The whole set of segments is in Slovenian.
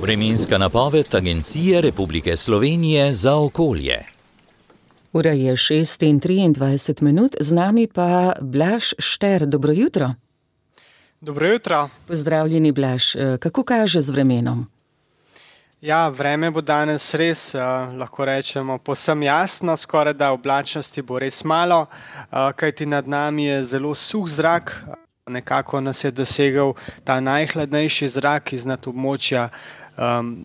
Vremenska napoved Agencije Republike Slovenije za okolje. Ura je 6:23, z nami pa Blaž Šter. Dobro jutro. Dobro jutro. Pozdravljeni, Blaž. Kako kaže z vremenom? Ja, vreme bo danes res, lahko rečemo, povsem jasno, skoraj da oblačnosti bo res malo, kajti nad nami je zelo suh zrak. Nekako nas je dosegel ta najhladnejši zrak iznad območja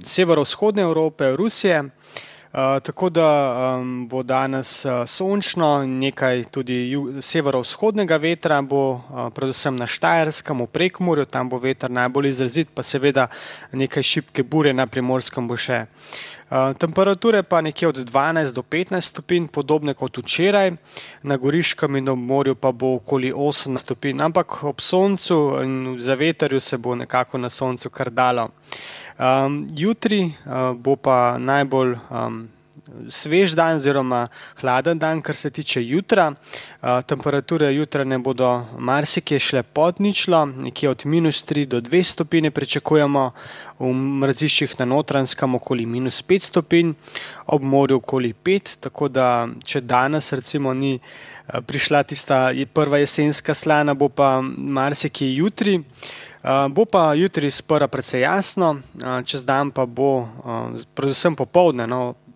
severovzhodne Evrope, Rusije. Tako da bo danes sončno, nekaj tudi severovzhodnega vetra bo, predvsem na Štajerskem, v Prekmurju, tam bo veter najbolj izrazit, pa seveda nekaj šibke burje na Primorskem bo še. Temperature pa nekje od 12 do 15 stopinj, podobne kot včeraj, na Goriškem in ob morju pa bo okoli 18 stopinj, ampak ob soncu in za veterju se bo nekako na soncu kar dalo. Jutri bo pa najbolj svež dan oziroma hladen dan, kar se tiče jutra. Temperature jutranje bodo marsikje šle pod ničlo, nekje od -3 do 2 stopinje pričakujemo, v mraziščih na Notranjskem okoli -5 stopinj, ob morju okoli 5, tako da če danes recimo ni prišla tista prva jesenska slana, bo pa marsikje jutri. Bo pa jutri sprva precej jasno, čez dan pa bo, predvsem popoldne,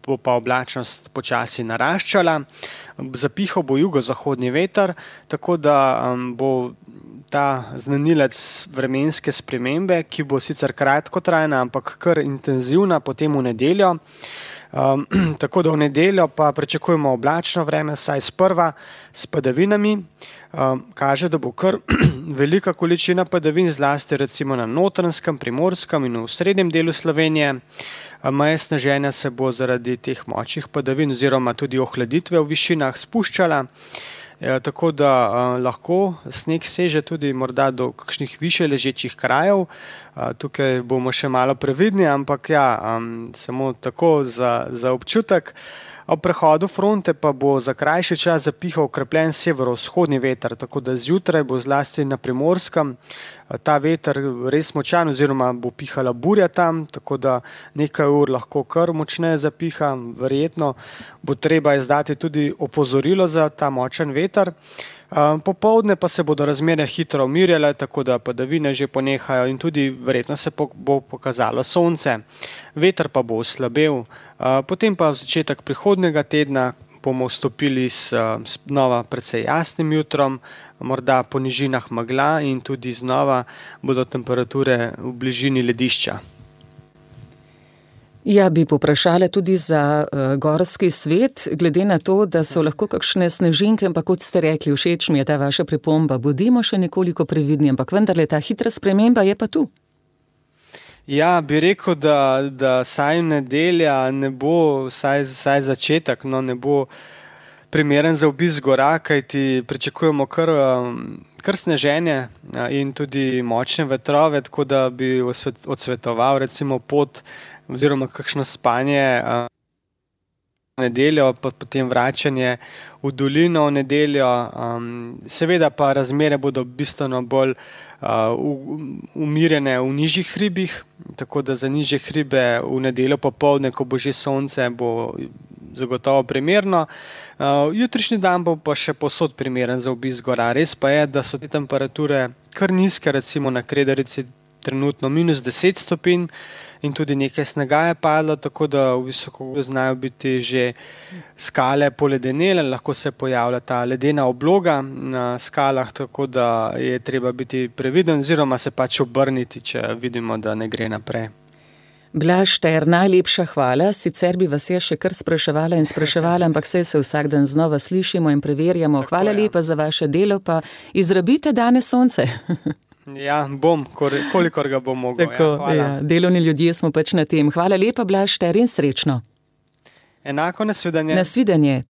bo pa oblačnost počasi naraščala. Zapihal bo jugozahodni veter, tako da bo ta znanilec vremenske spremembe, ki bo sicer kratkotrajna, ampak kar intenzivna potem v nedeljo. Tako da v nedeljo pa pričakujemo oblačno vreme, vsaj sprva s padavinami. Kaže, da bo kar velika količina padavin, zlasti recimo na Notranjskem, Primorskem in v srednjem delu Slovenije. Meja sneženja se bo zaradi teh močnih padavin oziroma tudi ohladitve v višinah spuščala, tako da lahko sneg seže tudi morda do kakšnih višje ležečih krajev. Tukaj bomo še malo previdni, ampak ja, samo tako za občutek. Ob prehodu fronte pa bo za krajši čas zapihal okrepljen severovzhodni veter, tako da zjutraj bo zlasti na Primorskem ta veter res močan oziroma bo pihala burja tam, tako da nekaj ur lahko kar močneje zapiha. Verjetno bo treba izdati tudi opozorilo za ta močan veter. Popoldne pa se bodo razmere hitro umirjale, tako da padavine že ponehajo in tudi verjetno se bo pokazalo sonce. Veter pa bo oslabel. Potem pa v začetek prihodnjega tedna bomo vstopili s znova precej jasnim jutrom, morda po nižinah megla in tudi znova bodo temperature v bližini ledišča. Ja, bi povprašala tudi za gorski svet, glede na to, da so lahko kakšne snežinke, ampak kot ste rekli, všeč mi je ta vaša pripomba, bodimo še nekoliko previdni, ampak vendarle ta hitra sprememba je pa tu. Ja, bi rekel, da saj nedelja ne bo, saj začetek, ne bo primeren za obisk gora, kajti pričakujemo kar sneženje in tudi močne vetrove, tako da bi odsvetoval recimo pot oziroma kakšno spanje nedeljo, pa potem vračanje v dolino v nedeljo. Seveda pa razmere bodo bistveno bolj umirjene v nižjih hribih, tako da za nižje hribe v nedeljo popoldne, ko bo že sonce, bo zagotovo primerno. Jutrišnji dan bo pa še povsod primeren za obisk gora. Res pa je, da so te temperature kar nizke, recimo na Kredarici trenutno -10 stopinj in tudi nekaj snega je padlo, tako da v visokogorju znajo biti že skale poledenele, lahko se pojavlja ta ledena obloga na skalah, tako da je treba biti previden oziroma se pač obrniti, če vidimo, da ne gre naprej. Blaž Šter, najlepša hvala, sicer bi vas še kar spraševala, ampak se vsak dan znova slišimo in preverjamo. Tako, hvala lepa za vaše delo, pa izrabite danes sonce. Ja, bom, kolikor ga bom mogel. Tako, ja, delovni ljudje smo pač na tem. Hvala lepa, Blaž Šter, in srečno. Enako, nasvidenje. Nasvidenje.